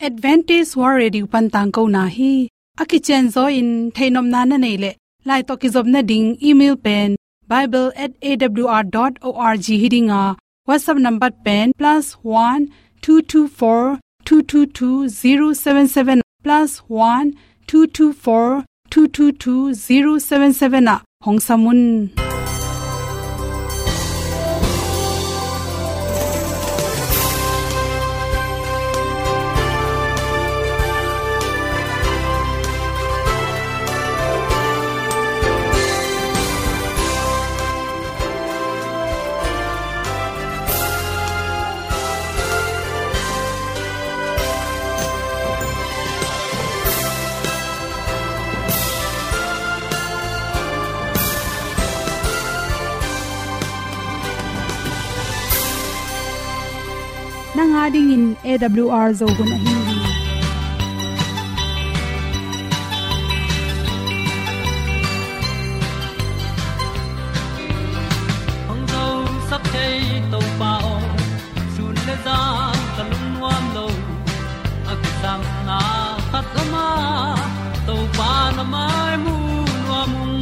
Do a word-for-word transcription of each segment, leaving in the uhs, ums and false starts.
Adventist World Radio pan tangkona hi. A kicianzaw in theihnopna na neih leh, lai tawh kizopna ding email pen bible at A W R dot org hi ding a, WhatsApp number pen plus one two two four two two two zero seven seven, plus one two two four two two two zero seven seven ah hong sam un. Nang a dingin A W R Zo hun ahi hi. Hong zosak thei Topa aw, sun le zan ka lungnuam lo. A kisangna khat om a, Topa na mai mu nuam ung.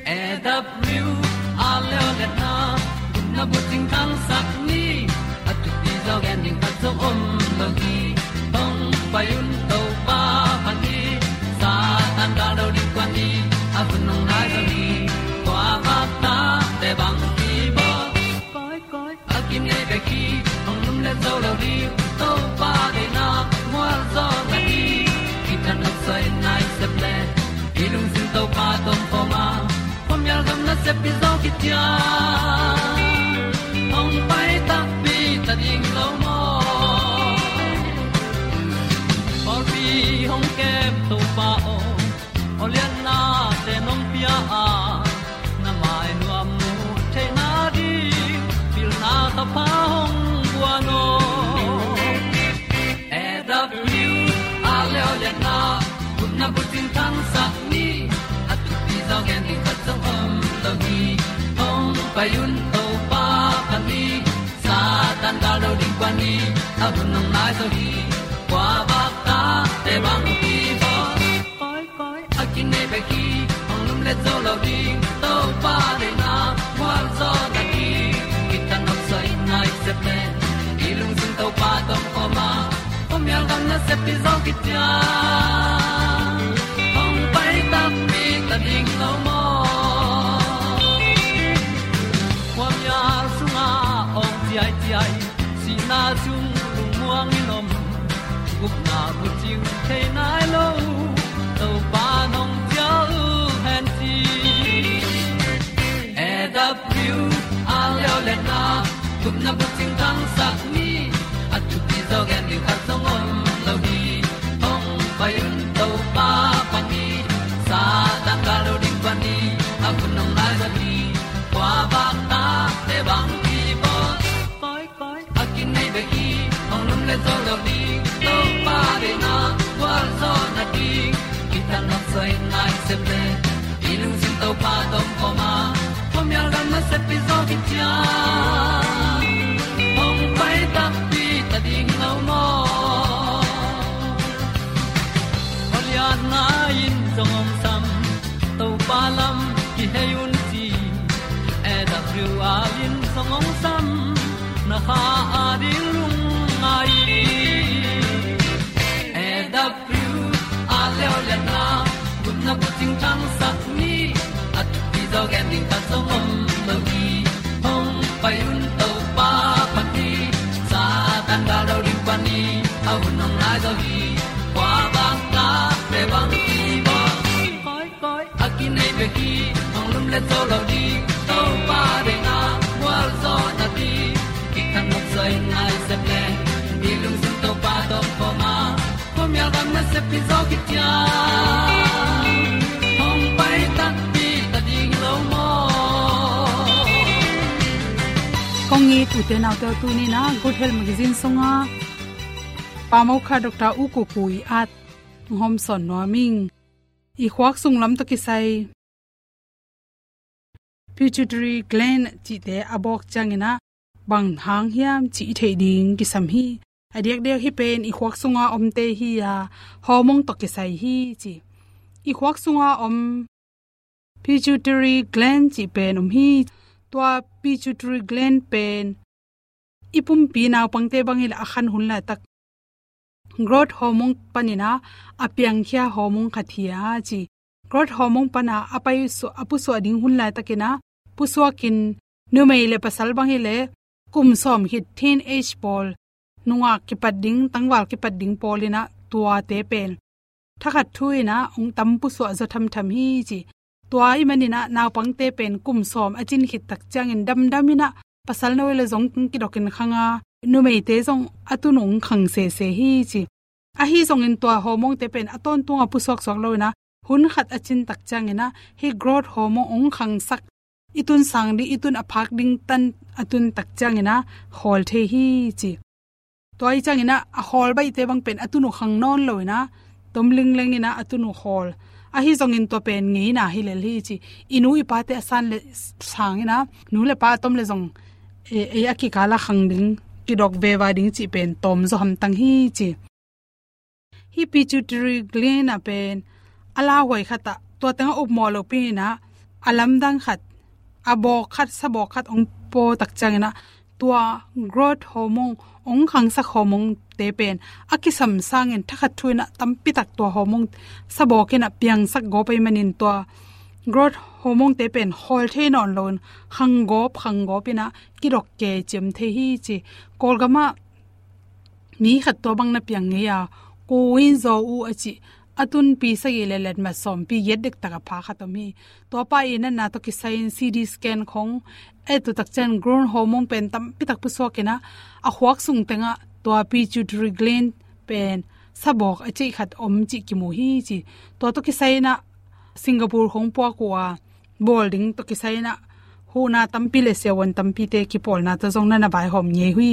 A W R Zo hun a, gupna bucing thangsak ni. A thupi zaw gen ding khat zong om lo hi. Hong pai un Topa pan hi. Satan gal do ding kuan ni. A hun hong nai zo hi. Kua vak ta te bang hi bawl. Koi, koi, a kinei bek hi, hong lum le zo lo ding. Topa deihna mual zaw na hi. Kitang nok soi nai sep le, i lungsim Topa tawh om khawm a, khuamial gam nasep pi zaw kician. Hong pai takpi ta ding lo maw. Pawlpi hong kem Topa aw, aw lianna te nong pia a, na mai nuam mu theihna ding, pilna ka pha hong guan aw. A W R Zo hun a, gupna bucing thangsak ni. A thupi zaw gen ding khat zong om lo hi. Hong pai un Topa pan hi. Satan gal do ding kuan ni. A hun hong nai zo hi. Kua vak ta te bang hi bawl. Koi, koi, a kinei bek hi, hong lum le zo lo ding. Topa deihna mual zaw na hi. Kitang nok soi nai sep le, i lungsim Topa tawh om khawm a, khuamial gam nasep pi zaw kician. Hong pai takpi ta ding lo maw. Khuamial sungah awng ciaiciai, sihna sung lungmuang in om. Gupna bucing thei nai lo, Topa nong cial hen ci. A W R Zo hun a, gupna bucing thangsak ni. A thupi zaw gen ding khat zong om lo hi. Hong pai un Topa pan hi. Satan gal do ding kuan ni. A hun hong nai zo hi. Kua vak ta te bang hi bawl. Koi, koi, a kinei bek hi, hong lum le zo lo ding. Topa deihna gualzawhna ding, kitang nok soi nai sep le, i lungsim Topa tawh om khawm a, khuamial gam nasep pi zaw kician. Hong pai takpi ta ding lo maw. Aw lianna in zong hong sam, Topa lam kihei un ci. A W R in zong hong sam, na kha a ding lungngai. A W R Zo hun a, gupna bucing thangsak ni. A thupi zaw gen ding khat zong om lo hi. Hong pai un Topa pan hi. Satan gal do ding pan hi. A hun hong nai zo hi. Kua bang ta pe bang hi bawl. Koi, koi, a kinei bek hi, hong lum le zo lo ding. Topa deihna gualzawhna ding, kitang nok soi nai sep le, i lungsim Topa tawh om khawm a, khuamial gam nasep pi zaw kician. Hong pai takpi ta ding lo maw. Kong it ute naute, tuni in a Good Health Magazine sungah Pa Mokha Doctor U Kuku i at hong hawmsawn nuam ing. I khuak sung lam tawh kisai pituitary gland cihte a bawk ciangin a bang hang hiam cih i theih ding kisam hi. A diakdiak hih pen i khuak sunga omte hi a, hormone tawh kisai hi ci. I khuak sunga om pituitary gland cih pen om hi. Tua pituitary gland pen i pumpi naupangte bang hi leh a khan hun laitak growth hormone panin a, a piangkhia hormone khat hi a ci. Growth hormone pan a, a paisuah, a pusuah ding hun laitakin a, pusuakin numei le pasal bang hi leh kum sawm khit teenage pawl, nungak kipat ding, tangval kipat ding pawl in a, tuate pen thakhat thu in a hong tam pusuah zaw thamtham hi ci. Tua ahih manin a, naupangte pen kum sawm a cin khit tak ciangin damdam in a, pasal no le zong kidokin khang a, numeite zong a tun hong khang sese hi ci. Ahi zongin tua hormonete pen a tawntung a pusuaksuak lo in a, hun khat a cin tak ciangin a, hih growth hormone hong khangsak, i tun sang ding, i tun a phak ding tan a tun tak ciangin a, khawl thei hi ci. Tua ahih ciangin a, a khawl baihte bang pen a tun uh khang nawn lo in a, tom lingleng in a, a tun uh khawl. Ahi zongin tua pen ngeina hi lel hi ci. I nu i pate a san le sang in a, nu le pa a tom le zong, e, e, a kikal a khang ding, kidok veva ding cih pen tawm zaw hamtang hi ci. Hih pituitary gland a pen a lauhuai khat ah, tua teng a upmawh lopi in a, a lamdang khat, a bawk khat, sabawk khat hong paw tak ciangin a, tua growth hormone, hong khangsak hormonete pen a kisam sangin thakhat thu in a tampi tak tua hormone sabawk in a piangsak gawp ahih manin tua growth hormonete pen khawl thei nawn lo in, khang gawp, khang gawp in a kidok kei ciam thei hi ci. Kawlgam ah mi khat tua bang na piang ngei a, Ko Win Zaw U a cih, a tun pi sagih le letmat sawm, pi giat dektak a pha khat om hi. Tua pa i natna tawh kisai in C T scan khong a et uh tak ciang growth hormone pen tampi tak pusuak in a, a khuak sung teng ah tua pituitary gland pen sabawk a ceih khat om cih kimu hi ci. Tua tawh kisai in a Singapore khong puak uh a, bawl ding tawh kisai in a, huhna tampi le siavuan tampite kipawlna tawh zong na na vaihawm ngei uh hi.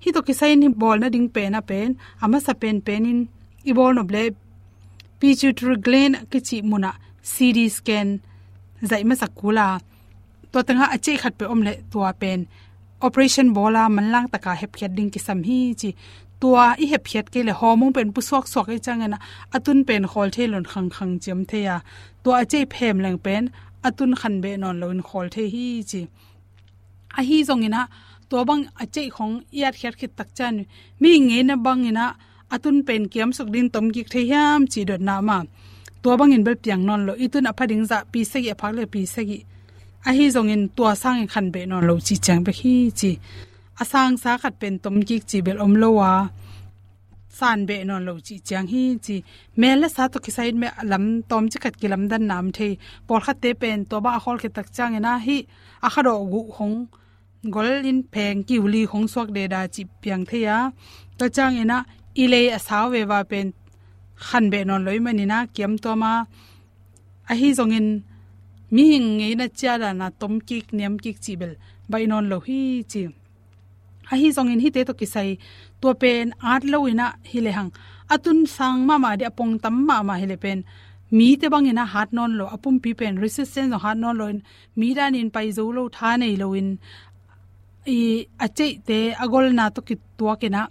Hih tawh kisai in hih bawl nading pen a pen, a masa penpen in i bawl nop leh pituitary gland a kici mun ah C T scan zaih masak kul a, tua teng ah a ceih khat peuh om leh tua pen operation bawl a manlang taka hepkhiat ding kisam hi ci. Tua i hepkhiat kei leh hormone pen pusuaksuak ahih ciangin a, a tun pen khawl thei lo in khangkhang ciam thei a, tua a ceih phem leng pen a tun khanbeh nawn lo in khawl thei hi ci. Ahi zongin a, tua bang a ceih khong i atkhiat khit tak ciang, mihing ngeina bangin a, a tun pen kiamsuk ding tomkik thei hiam cih dotna mah. Tua bangin bel piang nawn lo, i tun a pha ding zah pi sagih, a phak le pi sagih. Ahi zongin tua sangin khanbeh nawn lo cih ciang bek hi ci. A sangsa khat pen tomkik cih bel om lo a, sanbeh nawn lo cih ciang hi ci. Mel le sa tawh kisai in mel a lam tawmcik khat kilamdanna om thei. Pawlkhatte pen tua bang a khawl khit tak ciangin a, hih a khadawh guh khong gol in pheng kiuli khong suak deda cih piang thei a. Tua ciangin a, i lei a sau veva pen khanbeh nawn lo ahih manin a, kiamtuam a, ahi zongin mihing ngeina ciatdan a tomkik niamkik cih bel baih nawn lo hi ci. Ahi zongin hihte tawh kisai, tua pen at lo in a hi lehang, a tun sang mahmah ding, a pong tam mahmah hi leh pen mite bangin a hat nawn lo, a pumpi pen resistance zong hat nawn lo in, mi danin pai zo lo, tha nei lo in, i a ceihte a golna tawh kituak in a,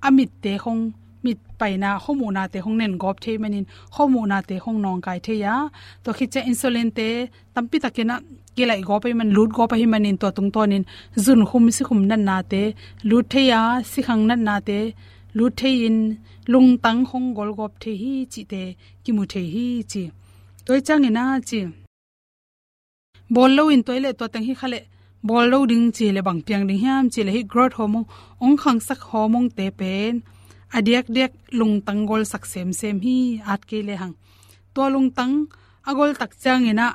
a mitte khong, mit paina, khuamuhnate khong nen gawp thei manin, khuamuhnate khong nawngkai thei a. Tua khit ciang insulinte tampi takin a kilaih gawp ahih man, lut gawp ahih manin, tua tungtawnin zunkhum sikhum natnate lut thei a, sikhang natnate lut thei in, lungtang khong gol gawp thei hi cihte kimu thei hi ci. Tua ahih ciangin a ci, bawl lo in tua hi leh tua teng hi kha leh, bawl lo ding ci leh bang piang ding hiam cih leh, hih growth hormone, hong khangsak hormonete pen a diakdiak lungtang golsak semsem hi, at kei lehang. Tua lungtang a gol tak ciangin a,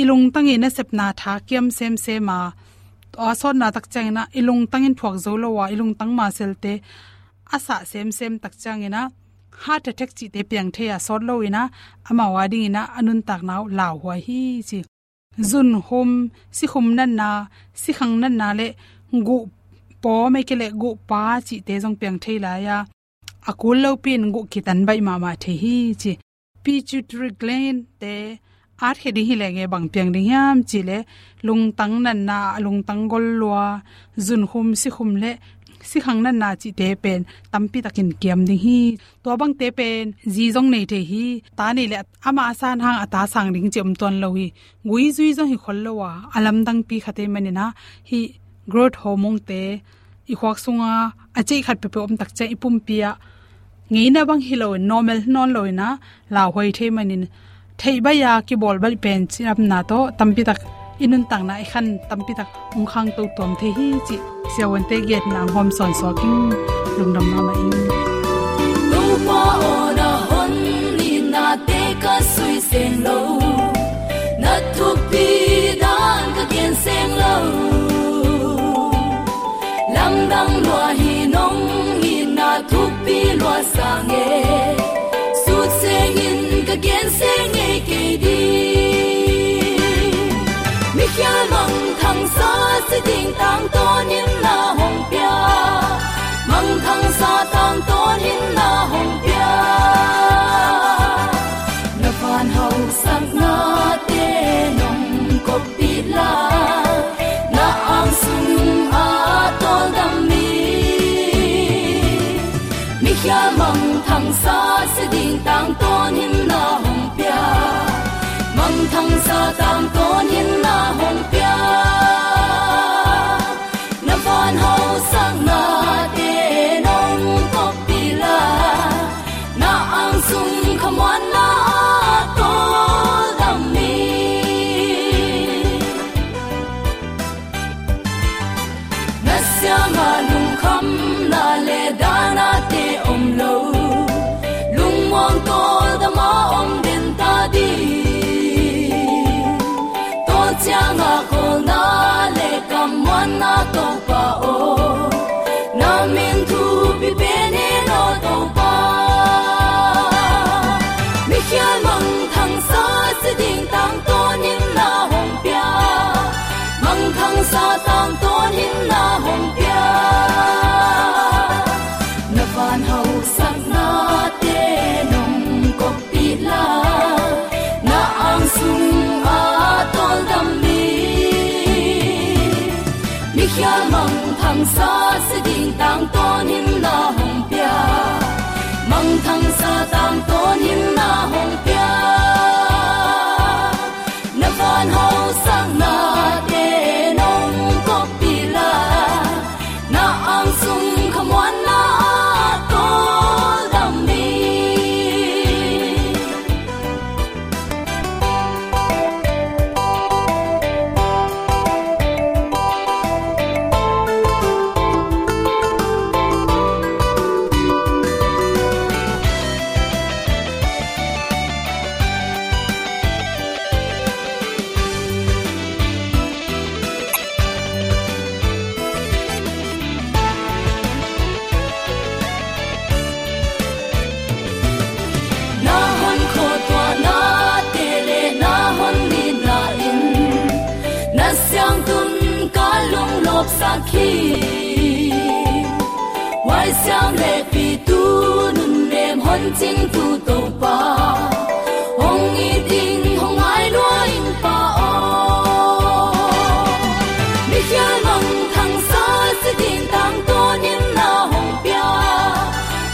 i lungtang i nasepna tha kiam semsem a, tua sawtna tak ciangin a, i lungtang in thuak zo lo a, i lungtang muscle-te a sah semsem tak ciangin a, heart attack cihte piang thei a, sawt lo in a, amau a dingin a, a nuntakna uh lauhuai hi ci. Zunkhum, sikhum natna, sikhang natna le guh pawm, ahih kei leh guh pa cihte zong piang thei lai a, a kul lopi in guh kitan baih mahmah thei hi ci. Pituitary gland-te at khia ding hi leh nge bang piang ding hiam cih leh, lungtang natna, a lungtang gol lua, zunkhum, sikhum le sikhang natna cihte pen tampi takin kiam ding hi. Tua bangte pen zi zong nei thei hi. Ta nei le ama a san hang a ta sang ding ci om tuan lo hi. Gui zui zong hi khol lo a, a lamdangpi khat ei manin ah, hih growth hormone-te i khuak sunga a ceih khat peuhpeuh om tak ciang i pumpi ah ngeina bang hi loin, normal nawn loin ah lauhuai thei manin, theih baih a kibawl baih pen cidamna tawh tampi tak i nuntakna i khan tampi tak hong khangto tuam thei hi cih siavuante giatna hong hawm sawnsawn ing. Lungdam mahmah ing. Topa aw, na hon nitnate ka sui seng lo, na thupi dan ka gen seng lo. Lamdang lua hi, nong itna thupi lua sang e, sut sengin ka gen seng ngei kei ding. Mikhial mangthangsa si ding tangtawnin na hong pia, mangthangsa tangtawnin na hong pia. Na van hausaknate nong koppih la, na ang sung a tawldam mi, mikhial mangthangsa si ding tangtawnin na hong pia, mangthangsa tangtawnin na hong pia. Na van hausaknate nong koppih la, na ang sung khamuanna a tawldam mi, na siangah lungkhamna le dahnate om lo, lungmuang tawldam a om den ta ding. Tua ciangah kawlna le kammuanna Topa aw, na min thupi pen hi lo Topa. Mikhial mangthangsa si ding tangtawnin na hong pia, mangthangsa tangtawnin na hong pia. Na van hausaknate nong koppih la, na ang sung a tawldam mi, mikhial mangthangsa si ding tangtawnin na hong pia, mangthangsa tangtawnin na hong pia. Na van hausaknate nong koppih la, na ang sung khamuanna a tawldam mi. Na hon khuatuahnate le na hon nitna in na siangtun ka lunglawpsak hi. Huaisiam le pitu nunnem hon cingtu Topa, hong it ing, hong ngai lua ing Pa aw. Mikhial mangthangsa si ding tangtawnin na hong pia,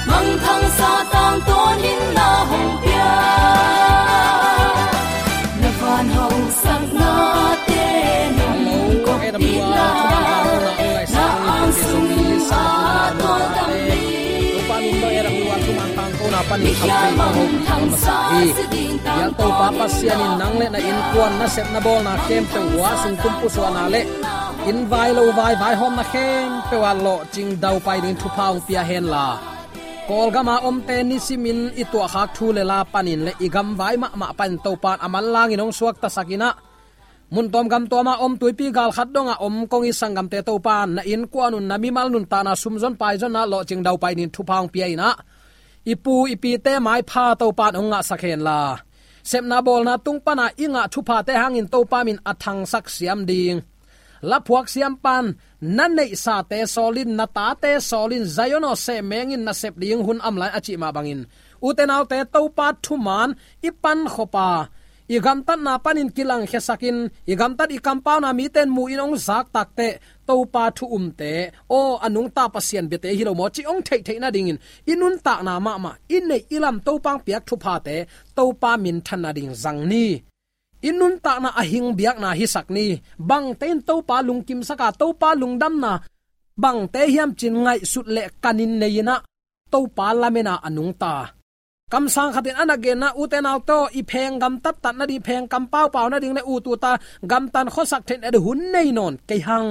mangthangsa tangtawnin na hong pia. Na van hausaknate nong koppih la, na ang sung a tawldam mi. Topa min bang e rak luan thuman tangkona panin kham thei kong hopih kong masa hi. Biak Topa Pasian in nang le na innkuan, na sepna bawlna khempeuh, hua sung tum pusuahna le inn vai lo vai vaihawmna khempeuh ah lawhcing daupai dingin thupha hong pia henla, Kawlgama omte nisimin i tuahkhak thu le la panin le i gamvai mahmah panin Topa in a manlangin hong suaktasak in ah, mun tuam gam tuama om tuipi gal khat dongah om kong i sanggamte Topa in na innkuan un na mimal nuntakna sumzon paizonna lawhcing daupai dingin thupha hong pia in ah, i pu i pite maipha Topa in hong ngahsak henla, sepna bawlna tung pana i ngah thuphate hangin Topa min a thangsak siam ding. Laphuak siampan, na neihsate sawlin, na tate sawlin, Zion aw, sehmengin na sep ding hun a om lai a cih mah bangin, ute naute Topa thuman i pankhop a, i gamtatna panin kilangkhiasakin, i gamtat i kampauna mite in mu-in hong zak takteh, Topa thu umte, aw, a nungta Pasian biate hi lo maw cih hong theihtheih nadingin, i nuntakna mahmah, i neih i lam Topa hong piak thuphate, Topa minthan nading zang ni. I nuntakna a hing biakna hisak ni. Bangte in Topa lungkimsak a, Topa lungdamna bangte hiam ci-in ngaihsut leh kanin nei-in ah, Topa lamen a a nungta. Kamsang khat in a na genna, ute naute aw, i pheng gamtat tat nading, pheng kampau pau nading leh ut uta gamtan khuasak theih nading hun nei nawn kei hang.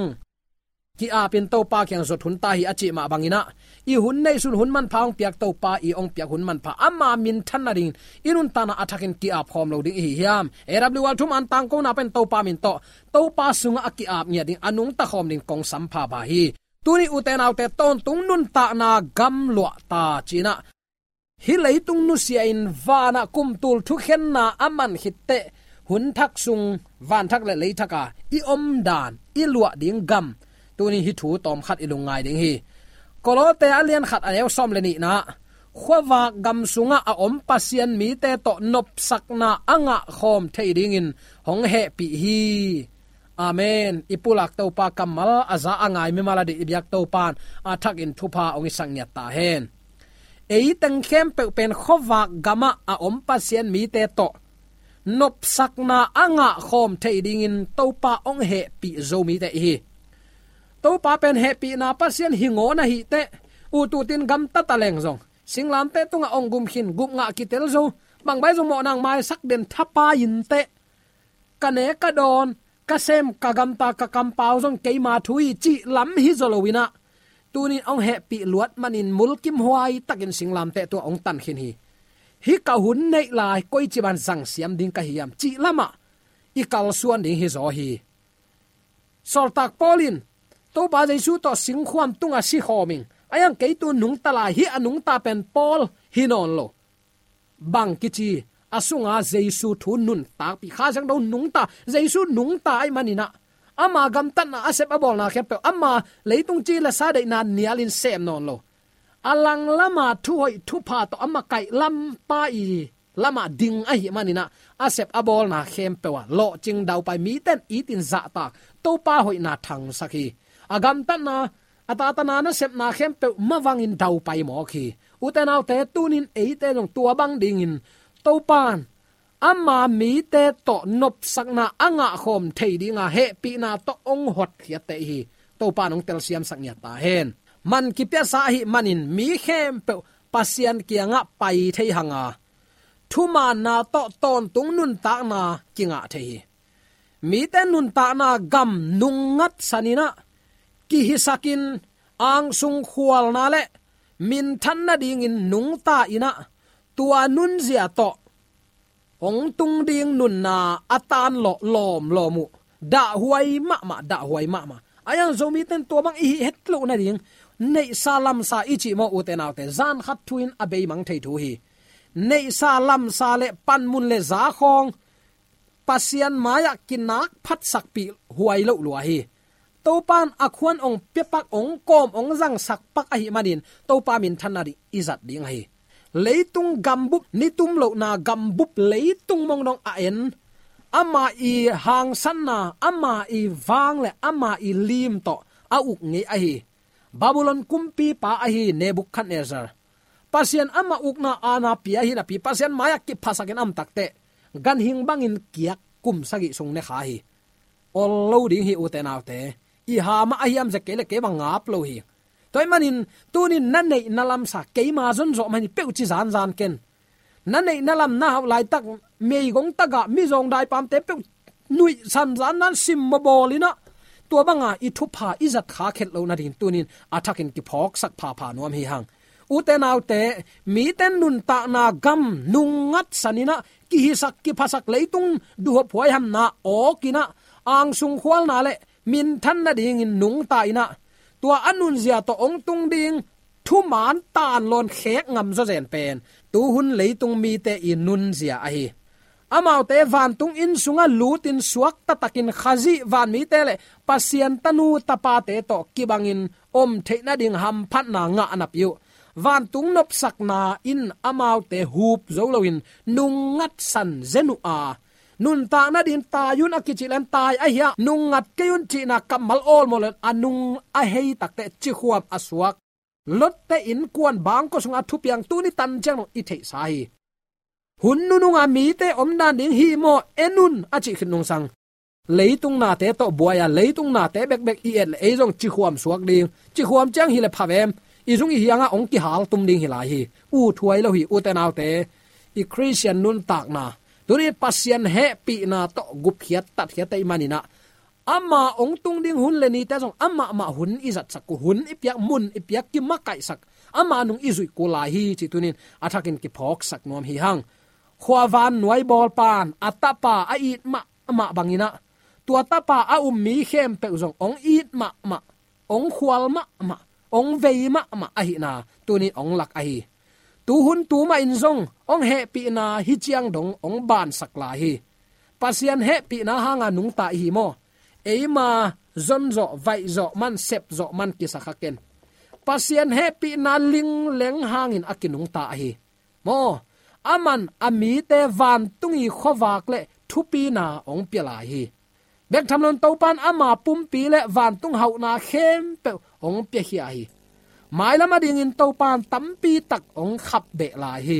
Ki-apin Topa kiang zot hun ta hi a cih mah bangin ah, i hun neihsun hun manpha hong piak Topa, i hong piak hun manpha, ama minthan nadingin i nuntakna a thakin ki-ap khawm lo ding i hi hiam? A W R thu man tangkona pen Topa min tawh, Topa sungah a ki-ap ngiat ding, a nungta khawm ding kong sampha pah hi. Tuni ute naute, tawntung nuntakna gamluah ta ci-in ah, hih leitung nusia-in vanah kumtul thukhenna a man khitteh, hun thak sung, van thak leh lei thak a i omdan, i luah ding gam, tuni hih thu tawmkhat i lungngai ding hi. Kolose a lian khat a neu sawm leh nihna ah, khuavak gam sungah a om Pasian mite tawh nopsakna a ngah khawm thei dingin hong hehpih hi. Amen. I pulak Topa kammal a za a ngai mimal a dih i biak Topa'n a thakin thupha hong hisak ngiat ta hen. Ei teng khempeuh pen khuavak gamah a om Pasian mite tawh nopsakna a ngah khawm thei dingin Topa hong hehpih zo mite i hi. Topa pen hehpihna Pasian hi ngawn ahih teh, ut utin gamta ta leng zong, singlamteh tungah hong gum khin, gupngah kitel zo, bang bang zong mawhna hong maisak den thapai inteh, ka ne ka dawn, ka sem ka gamta, ka kampau zong keima thu hi cih lam hi zaw lo-in ah, tuni-in hong hehpih luat manin mulkimhuai takin singlamteh tungah hong tan khin hi. Hih ka hun neih lai koici ban zangsiam ding ka hi hiam cih lamah i kalsuan ding hi zaw hi. Sawltak Paul in, Topa Jesu tawh singkhuam tungah si khawm ing, a hiang kei tu nungta lai, hih a nungta pen Paul hi nawn lo. Bang kici, a sunga Jesu thu nuntakpih, Kha Siangtho nungta, Jesu nungta ahih manin ah, ama gamtatna, a sep a bawlna khempeuh, ama leitung ci leh sa deihna nialin sem nawn lo. A lang lama thuhoih thupha tawh ama kaih lampa i lamah ding ahih manin ah, a sep a bawlna khempeuh ah lawhcing daupai, mite in it in zahtak, Topa hoihna thangsak hi. A gamtatna, a tatana nasepna khempeuh mavangin daupai mawk hi. Ute naute, tuni-in eite zong tua bang dingin Topa'n ama mite tawh nopsakna a ngah khawm thei dinga hehpihna tawh hong hotkhiatte i hi. Topa'n hong telsiamsak ngiat ta hen. Man kipiasa ahih manin mi khempeuh Pasian kiangah pai thei hang a, thumaanna tawh tawntung nuntakna kingah thei hi. Mite nuntakna gam nungngatsan in ah, kihisakin, angsung khualna leh minthan nadingin nungta in ah, tua nunzia tawh hong tung ding nunna a tanlawh lawmlawm uh. Dahhuai mahmah, dahhuai mahmah. A hiang Zomite in tua bang i hih het loh nading, neihsa lamsa i cih maw, ute naute, zan khat thu-in a beimang thei thu hi. Neihsa lamsa leh panmun leh zakhawng Pasian mai-ah kinak phatsakpih huai loh lua hi. Topa'n a khuan hong piapak, hong kawm, hong zangsak pak ahih manin Topa minthanna ding i zat ding ahi. Leitung gambup, ni tum lohna gambup leitung mong dong a en, ama i hangsanna, ama i vang leh ama i lim tawh a uk ngei ahi Babylon kumpipa ahi Nebuchadnezzar, Pasian ama ukna aana pia hi napi, Pasian mai-ah kiphasakin a om takteh, ganhing bangin kiak kum sagih sung ne kha hi. Ol lo ding hi, ute naute. I ha mah ahi hiam, zia kei leh kei bang ngap lo hi. Tua ahih manin tuni-in na neih na lamsa, keima zon zawh mah hi, peuh ci zanzan ken. Na neih na lam, na hauh laitak, meigong tagah, mizawng daipamte peuh nuihsan zanzan, sim mawbawl in ah, tua banga i thupha i zat khak het loh nading tuni-in a thakin kiphawksak phapha nuam hi hang. Ute naute, mite nuntakna gam nungngatsan in ah, kihisak kiphasak leitung duhhuap huaihamna awk in ah, angsung khualna leh minthan nadingin nungta in ah, tua a nunzia tawh hong tung ding thumaan tanlawn khek ngam zawzen pen tuhun leitung mite i nunzia ahi. Amaute vantung inn sungah lutin suakta takin Khazih vanmite leh Pasian tanu tapate tawh kibangin om theih nading hamphatna ngah napi uh, vantung nopsakna in amaute hup zo loin nungngatsan zen uh a, Nuntak nadingin tai un a kicih leng tai ahi a, nungngat kei un cihna kammal awlmawh leng a nung a hei takteh cikhuam a suak. Lotte innkuan bangkua sungah thupiang tuni tan ciang dong i theihsa hi. Hun nununga mite omdan ding hi maw, en un a cih khit nungsang, leitung nate tawh buai a, leitung nate bekbek i et leh ei zong cikhuam suak ding. Cikhuam ciang hi leh pha vem, i zung i hiangah hong kihal tum ding hi lai hi. Ut huai lo hi, ute naute. I Khristian nuntakna, tuni Pasian hehpihna tawh gupkhiat tatkhiat ahih manin ah, ama hong tung ding hun le nite zong amah mah hun i zatsak uh, hun i piak, mun i piak, kimakaihsak, ama nung i zuih kul lai hi cih tuni-in a thakin kiphawksak nuam hi hang. Khua vannuai bawlpa'n a tapa a it mahmah bangin ah, tua tapa a um mi khempeuh zong hong it mahmah, hong khual mahmah, hong vei mahmah ahihna tuni-in hong lak ahi. Tu hun tu mah in zong hong hehpihna hih ciang dong hong bansak lai hi. Pasian hehpihna hanga nungta i hi maw? Eima zonzawh, vaihzawh man, sepzawh man kisa kha ken. Pasian hehpihna lingleng hangin a kinungta ahi. Maw, aman a mite vantung i khuavak le thupina hong pia lai hi. Bek tham loin Topa'n ama pumpi le vantung hauhna khempeuh hong piakhia hi. Mailam adingin Topa'n tampi tak hong khapbeh lai hi.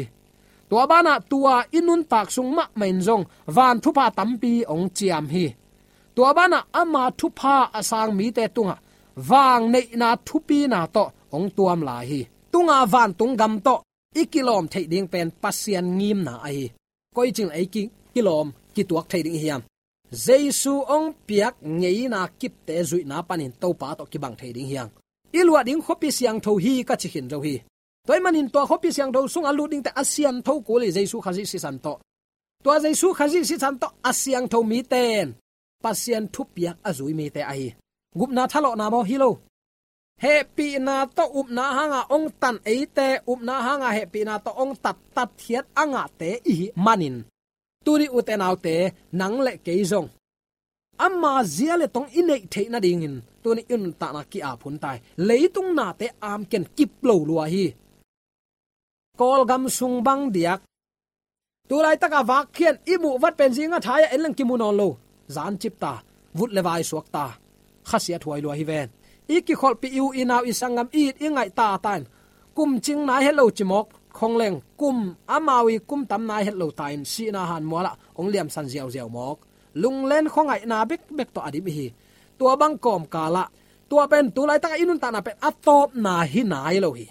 Tua banah tua i nuntak sung mahmah in zong van thupha tampi hong ciam hi. Tua banah ama thupha a sang mite tungah vangneihna thupina tawh hong tuam lai hi. Tunga vantung gam tawh i kilawm theih ding pen Pasian ngimna ahi. Koici-in ei ki, kilawm, kituak thei ding i hiam? Jesu hong piak ngeina kipte zuihna panin Topa tawh kibang thei ding hi hang. I luah ding khuapi siangtho hi ka ci khin zo hi. Tua ahih manin tua khuapi siangtho sungah lut dingte a siantho kul hi, Jesu Khazih sisan tawh. Tua Jesu Khazih sisan tawh a siangtho mite in Pasian thupiak a zui mite ahi. Gupna thalawhna maw, hi lo. Hehpihna tawh upna hanga hong tan eite, upna hanga hehpihna tawh hong tat, tatkhiat a ngahte i hih manin, tuni ute naute, nang le kei zong ama zia le tong i neih theih nadingin tuni i nuntakna ki-ap hun ta hi. Leitung nate amken kip lo lua hi. Kawlgam sung bang diak, tu laitaka vakkhian i muh vat pen zinga thai-ah en leng kimu nawn lo. Zan cip ta, vut le vai suak ta, khasiat huai lua hi ven. I kikholhpih, i u i nau, i sanggam, i it i ngaih ta ta in, kum cing nai het lo ci mawk khong leng, kum amau i kum tam nai het lo ta in, sihna hanmualah hong liamsan ziauziau mawk. Lunglen khuangaihna bekbek tawh a dim i hi. Tua bang kawmkalah, tua pen tu laitaka i nuntakna pen a tawpna hi nai lo hi.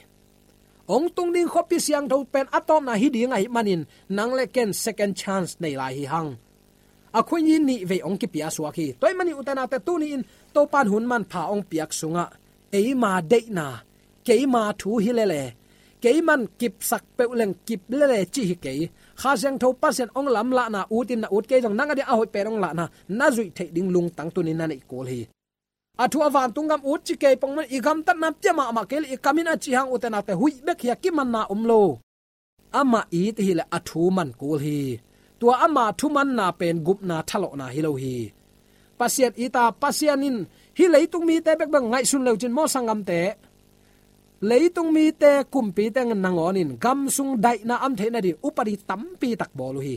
Hong tung ding khuapi siangtho pen a tawpna hi ding ahih manin, nang le ken second chance nei lai hi hang. A khuini nih vei hong kipia suak hi. Tua ahih manin ute naute, tuni-in Topa'n hun manpha hong piak sungah, eima deihna, keima thu hi lele, keiman kipsak peuh leng kip lele cih hi kei. Kha Siangtho Pasian hong lamlahna utin na ut kei zong, nang a dia a hoih pen hong lahna na zuih theih ding lungtang tuni-in na neih kul hi. A thu a vantung gam ut ci kei pong man, i gamtatna pia mahmah kei le i kamin a ci hang ute naute, huih bek hi a, kimanna om lo. Amah it i hih leh a thu man kul hi. Tua ama thu manna pen gupna thalawhna hi lo hi. Pasian it a, Pasian in hih leitung mite bekbek ngaihsun leu cin maw sanggamte. Leitung mite, kumpite nangawnin gam sung daihna om theih nading upadi tampi tak bawl uh hi.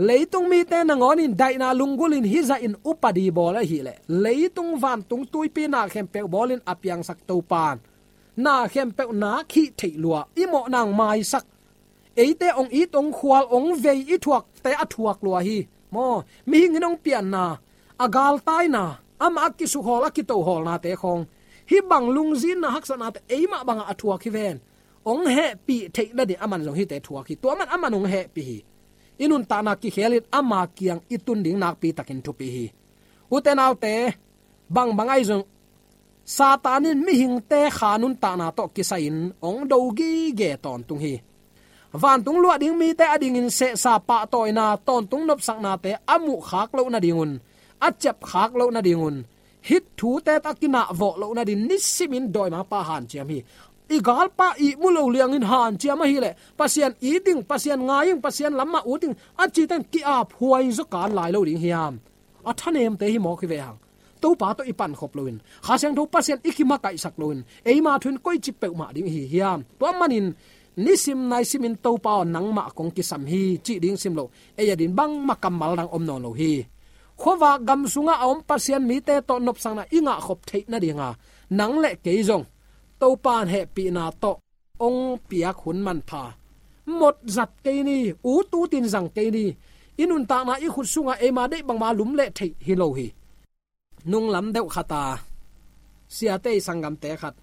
Leitung mite nangawnin daihna lunggulhin hih zahin upadi bawl ahih leh, leitung vantung tuipi na khempeuh bawlin a piangsak Topa'n na khempeuh nak hih theih lua, i mawhna hong maisak. Eite hong it, hong khual, hong vei, i thuakte a thuak lua hi. Maw, mihing in hong pianna, a galtaina, amah a kisukhawl, a kitohawlnate khawng, hih bang lungzinna haksatnate eimah bangah a thuak hi ven. Hong hehpih theih nading aman zong hihte thuak hi. Tua man aman hong hehpih hi. I nuntakna kikhelin ama kiang i tun ding nakpi takin thupi hi. Ute naute, bangbang ahi zong Satan in mihingte kha nuntakna tawh kisai-in hong do gige tawntung hi. Vantung luah ding mite adingin sehsa, pahtawina, tawntung nopsaknate a muh khak loh nadingun, a ciap khak loh nadingun, hih thute tawh a kinahvawh loh nading nisimin dawimangpa hanciam hi. I galpa ihmu lo liangin hanciam ahih leh, Pasian it ing, Pasian ngai ing, Pasian lam mah ut ing a cite in ki-ap huai zaw kan lai lo ding hiam? A thanemte hi mawk hi ve hang. Topa tawh i pankhop loin, Kha Siangtho Pasian i kimakaihsak loin, eima thu in koici peuhmah ding i hi hiam? Tua manin nisim naisimin Topa aw nangmah kong kisam hi cih ding sim lo, ei adingin bangmah kammal dang om nawn lo hi. Khuavak gam sungah a om Pasian mite tawh nopsakna i ngahkhop theih nadinga nang le kei zong Topa in hehpihna tawh hong piak hun manpha mawk zat kei ni, ut utin zang kei ni. I nuntakna i khut sungah eima deih bangmah lum leh theih hi lo hi. Nunglam deuh khata siate i sanggamte khat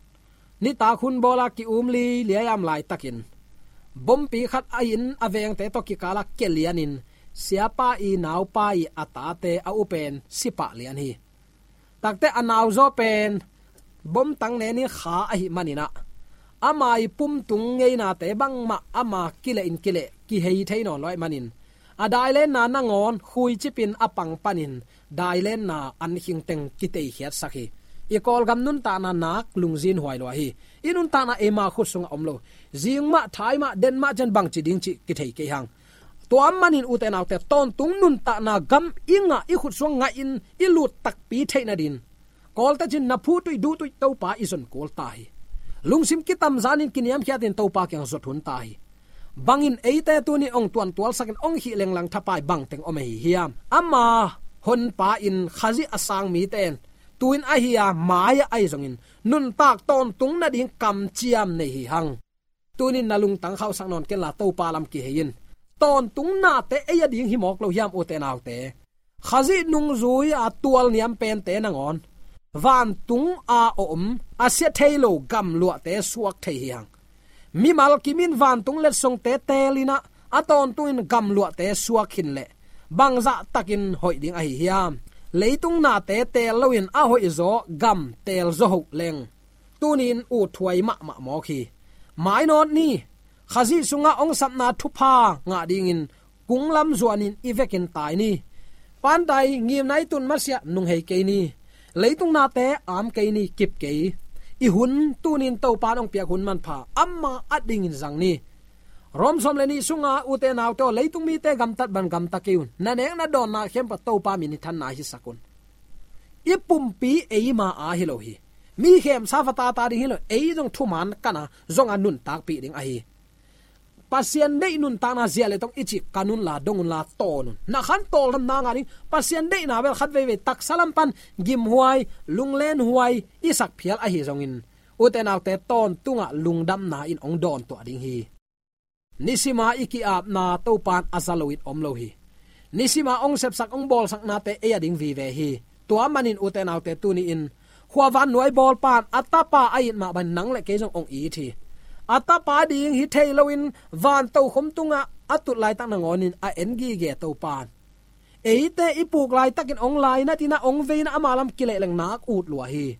nitak hun bawla ki-um liliai a om laitakin bompi khat a inn a vengte tawh kikala kia lianin siapa i naupa i a tate a u pen si pah lian hi. Takte a nauzaw pen bomtang nenin kha ahih manin ah ama i pumtung ngeinate bangmah ama kileh in kileh kihei thei nawn lo ahih manin a dailenna nangawn khuicipin a pang panin dailenna an khingteng kiteikhiatsak hi. I Kawlgam nuntakna nak lungzinhuai lua hi. I nuntakna eima khut sungah om lo. Zing mah, thai mah, den mah ciang bangci ding cih kithei kei hang. Tua ahih manin ute naute, tawntung nuntakna gam i ngah, i khut sungah ngahin i lut takpi theih nadin kawltacin na phutuih duhtuih Topa i zon kul ta hi. Lungsim kitamzanin kiniamkhiatin Topa kiang zot hun ta hi. Bangin eite tuni hong tuantualsakin hong khih lenglang thapai bangteng om ahi hiam? Ama honpa in Khazih a sang mite in tu-in ahi a mai-ah ahi zongin nuntak tawntung nading kamciam nei hi hang. Tunin na lungtang khauhsak nawn kenla Topa lam kihei in. Tawntung nate ei ading hi mawk lo hiam ute naute? Khazih nungzui a tualniam pente nangawn vantung a om a sia thei lo gamluahte suak thei hi hang. Mimal kimin vantung letsongte teelin ah a tawntungin gamluahte suak khin leh bangzah takin hoih ding ahi hiam? Leitung nate teel loin a hoihzaw gam teelzaw hoh leng tunin utthuai mahmah mawk hi. Mainawt ni. Khazih sungah hong sapna thupha ngah dingin kunglam zuanin i vekin tai ni. Pantai ngimna i tun masiah nunghei kei ni. Leitung nate am kei ni, kip kei. I hun tunin Topa in hong piak hun manpha ama adingin zang ni. Rom sawm le nih sunga ute naute aw, leitung mite gamtat bang gamta kei un. Na nek na dawnna khempeuh Topa min i thanna hisak un. I pumpi eima a hi lo hi. Mi khemsa vatata ding hi lo, ei zong thuman kana zong a nuntakpih ding ahi. Pasian deih nuntakna zia le tong i cih kan unla, dong unla, tawn un. Na khan tawldamna ngah ding Pasian deihna bel khat veivei taksa lam pan gimhuai, lunglenhuai i sak phial ahi zongin ute naute tawntungah lungdamna in hong dawntuah ding hi. Nisima i ki-apna Topa in a za loin om lo hi. Nisima hong sepsak hong bawlsaknate ei ading vive hi. Tua manin ute naute tuni-in khuavan nuai bawlpa in a tapa a it mah bangin nang le kei zong hong it hi. A tapa ding hi thei loin vantokhom tungah a tut laitak nangawnin a en gige Topa in eite i puk laitakin hong lainat in ah hong vei in ah ama lam kileh leng nak ut lua hi.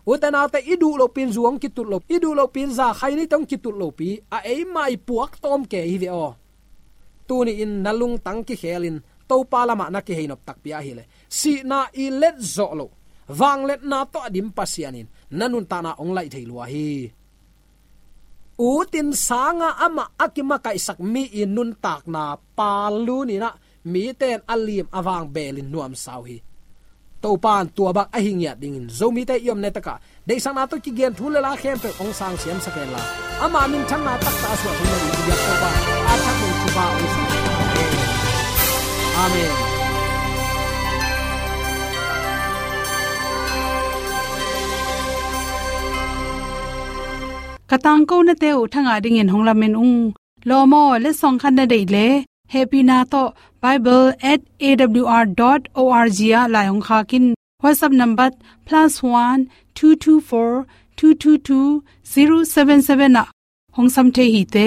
Ute naute, i duh lohpi in zu hong kitut lo, i duh lohpi in za khai ni tong kitut lopi a eima i puak tawm kei hi ve aw. Tuni-in na lungtang kikhelin Topa lamah na kihei nop takpi ahileh sihna i let zawh loh vangliatna tawh a dim Pasian in na nuntakna hong laih thei lua hi. Utin sanga amah a kimakaihsak mi i nuntakna pal lunin ah mite in a lim a vang belin nuamsa uh hi. Topa in tua bang ahi ngiat dingin Zomite i omna takah deihsakna tawh kigen thu le la khempeuh hong sang siamsak hen la, ama minthanna taktak a suah theihna dingin i biak Topa a thak ding thupha hong sak hen. Amen. Ka tangkonate uh thangah dingin hong lamen ung. Lawm aw, letsong khat na deih leh hehpihna tawh bible at A W R dot O R G ah lai hong khak in. WhatsApp number plus one two two four two two two zero seven seven ah hong sam thei hi te.